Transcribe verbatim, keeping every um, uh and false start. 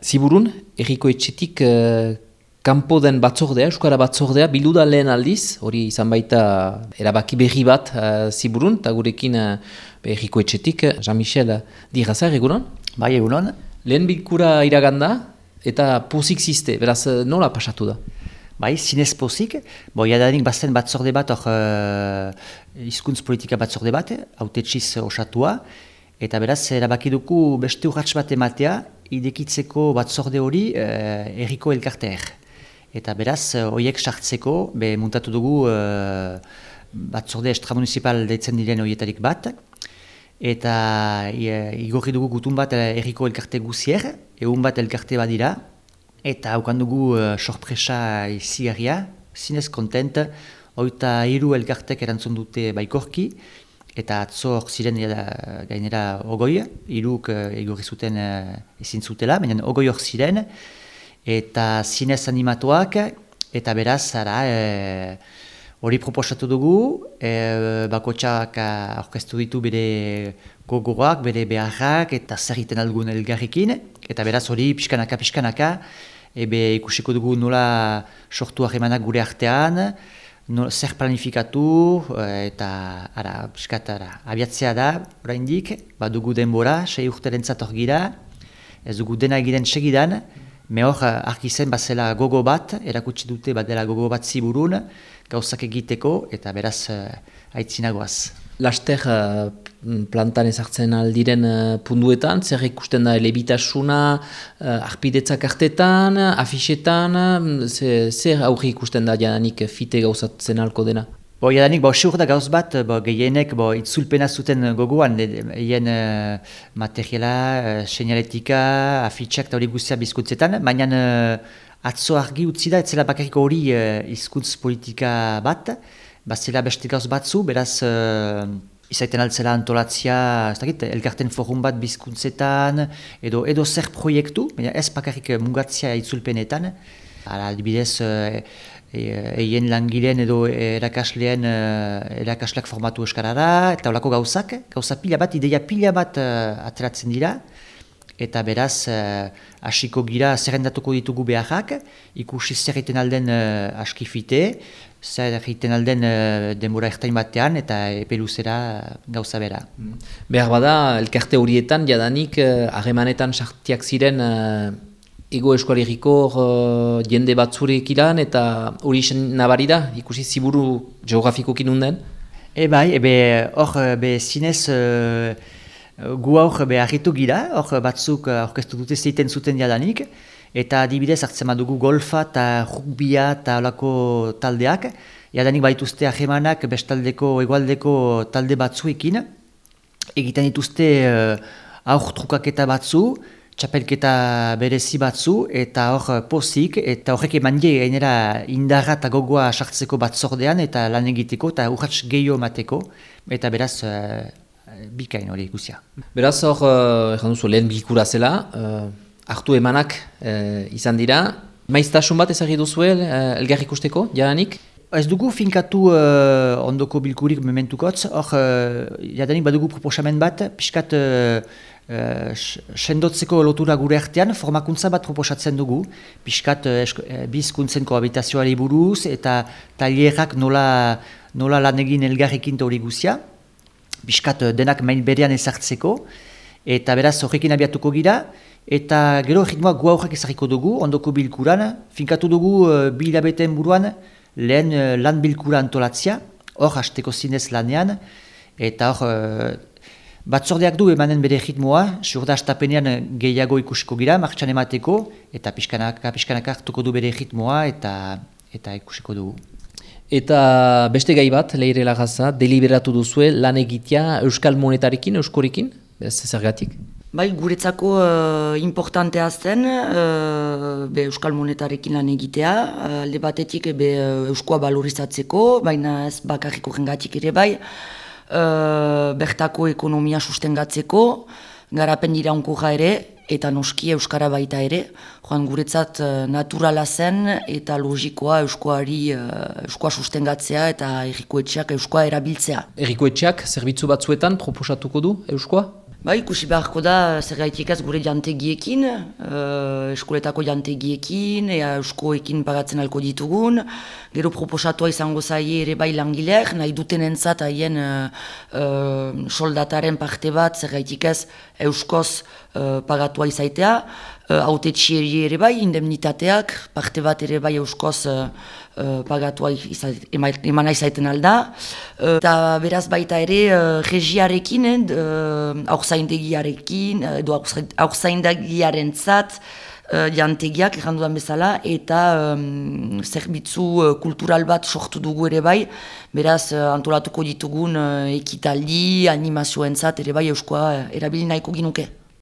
Ziburun, erriko etxetik uh, kanpo den batzordea, Euskara batzordea, bildu da lehen aldiz, hori izan baita erabaki berri bat uh, Ziburun, eta gurekin uh, erriko etxetik, Jean-Michel Dirrazar, egunon? Bai, egunon. Lehen bilkura iraganda, eta pozik ziste, beraz nola pasatu da? Bai, zinez pozik. Bo, jadanik bazen batzorde bat, hor uh, hizkuntz politika batzorde bat, hautetxiz osatua, eta beraz, erabaki dugu beste urratx bat ematea, idekitzeko batzorde hori uh, erriko elkarteer. Eta beraz, horiek sartzeko, be muntatu dugu uh, batzorde extramunicipal deitzen diren horietarik bat, eta igorri dugu gutun bat erriko elkarte guzier, egun bat elkarte badira, eta haukan dugu uh, sorpresa izigarria, zinez kontent, oita hiru elkartek erantzun dute baikorki, eta atzo hor ziren uh, gainera ogoi, hiruk uh, igorri zuten uh, ezin zutela, baina ogoi hor ziren, eta zinez animatuak, eta beraz, ara, hori e, proposatu dugu, e, bakotxak aurkeztu ditu bere gogoak, bere beharrak, eta zer egiten algun elgarrekin, eta beraz hori pixkanaka, pixkanaka, ebe ikusiko dugu nola sortu harremanak gure artean, nola, zer planifikatu, eta ara, piskat, ara, abiatzea da, oraindik, badugu denbora, sei urterentzat hor gira, ez dugu dena egiten segidan, me hor argi zen bazela gogo bat, erakutsi dute badela gogo bat Ziburun, gauzak egiteko, eta beraz aitzinagoaz. Laster uh, plantan ezartzen aldiren uh, punduetan, zer ikusten da elebitasuna, uh, arpidetzak artetan, afixetan, uh, zer aurri ikusten da jadanik fite gauzatzen alko dena? Bo, jadanik, bo, siur da gauz bat, bo, gehienek, bo, itzulpena zuten gogoan, hien uh, materiala, uh, seinaletika, afitxak eta hori guztia bizkuntzetan, baina uh, atzo argi utzi da, etzela bakarrik hori uh, izkuntz politika bat, bazela beste gauz batzu, beraz, uh, izaiten altzela antolatzia, ez dakit, elkarten forum bat bizkuntzetan, edo, edo zer proiektu, baina ez bakarrik mugatzia itzulpenetan, ara, adibidez, uh, eien langileen edo erakasleen erakasleak formatu eskarara, eta olako gauzak, gauza pila bat, ideia pila bat uh, ateratzen dira, eta beraz, hasiko uh, gira zerrendatuko ditugu beharrak, ikusi zer egiten alden uh, askifite, zer egiten alden uh, denbora ertain batean, eta epe luzera gauza bera. Behar bada, elkarte horietan, jadanik, harremanetan uh, sartiak ziren uh, Ego Eskualeriko uh, jende batzureek ilan, eta hori nabari da, ikusi Ziburu geografikokin unden? E bai, ebe hor be zinez uh, gu hor be harritu gira, hor batzuk aurkeztu dute zeiten zuten jadanik, eta adibidez hartzen badugu golfa eta rugbia eta olako taldeak, jadanik baituzte ahemanak bestaldeko egualdeko talde batzuekin, egiten dituzte uh, aur trukaketa batzu, txapelketa berezi batzu, eta hor pozik, eta horrek eman die gainera indarra eta gogoa sartzeko batzordean, eta lan egiteko, eta urratx gehiago mateko, eta beraz, uh, bikain hori guzia. Beraz hor, uh, duzu, lehen bilkura zela, uh, hartu emanak uh, izan dira, maiztasun bat ezagir duzue uh, elgar ikusteko, jadanik? Ez dugu finkatu uh, ondoko bilkurik mementukotz, hor, uh, jadanik badugu proposamen bat, pixkat uh, Uh, sendotzeko lotura gure artean, formakuntza bat proposatzen dugu, pixkat uh, bizkuntzen kohabitazioari buruz, eta tailerak nola, nola lan egin elgarrekin hori guzia, pixkat uh, denak main berean ezartzeko, eta beraz horrekin abiatuko gira, eta gero ritmoa gu aurrak ezarriko dugu, ondoko bilkuran, finkatu dugu uh, bi hilabeten buruan lehen uh, lan bilkura antolatzia, hor hasteko zinez lanean, eta hor uh, batzordeak du emanen bere ritmoa, surda astapenean gehiago ikusiko gira, martxan emateko, eta pixkanaka, pixkanaka hartuko du bere ritmoa, eta, eta ikusiko dugu. Eta beste gai bat, Leire Lagaza, deliberatu duzue lan egitea Euskal Monetarekin, Euskorekin, ez zergatik? Bai, guretzako uh, importantea zen, uh, be Euskal Monetarekin lan egitea, uh, alde batetik be Euskoa balorizatzeko, baina ez bakarriko jengatik ere bai, Uh, bertako ekonomia sustengatzeko, garapen iraunkorra ere, eta noski Euskara baita ere, joan guretzat uh, naturala zen eta logikoa Euskoari uh, Euskoa sustengatzea eta errikoetxeak Euskoa erabiltzea. Errikoetxeak zerbitzu batzuetan proposatuko du Euskoa? Ba, ikusi beharko da, zer gaitik ez gure jantegiekin, uh, eskoletako jantegiekin, ea euskoekin pagatzen alko ditugun, gero proposatua izango zaie ere bai langileak, nahi duten entzat haien uh, uh, soldataren parte bat, zer gaitik ez euskoz uh, pagatua izaitea, uh, autetxieri ere bai, indemnitateak, parte bat ere bai euskoz uh, Uh, pagatua emana izaiten alda. Uh, eta beraz baita ere uh, regiarekin, uh, aurzaindegiarekin, edo aurzaindegiaren zat, uh, jantegiak errandudan bezala, eta um, zerbitzu uh, kultural bat sortu dugu ere bai, beraz uh, antolatuko ditugun uh, ekitaldi, animazioen zat, ere bai euskoa uh, erabili nahiko ginuke.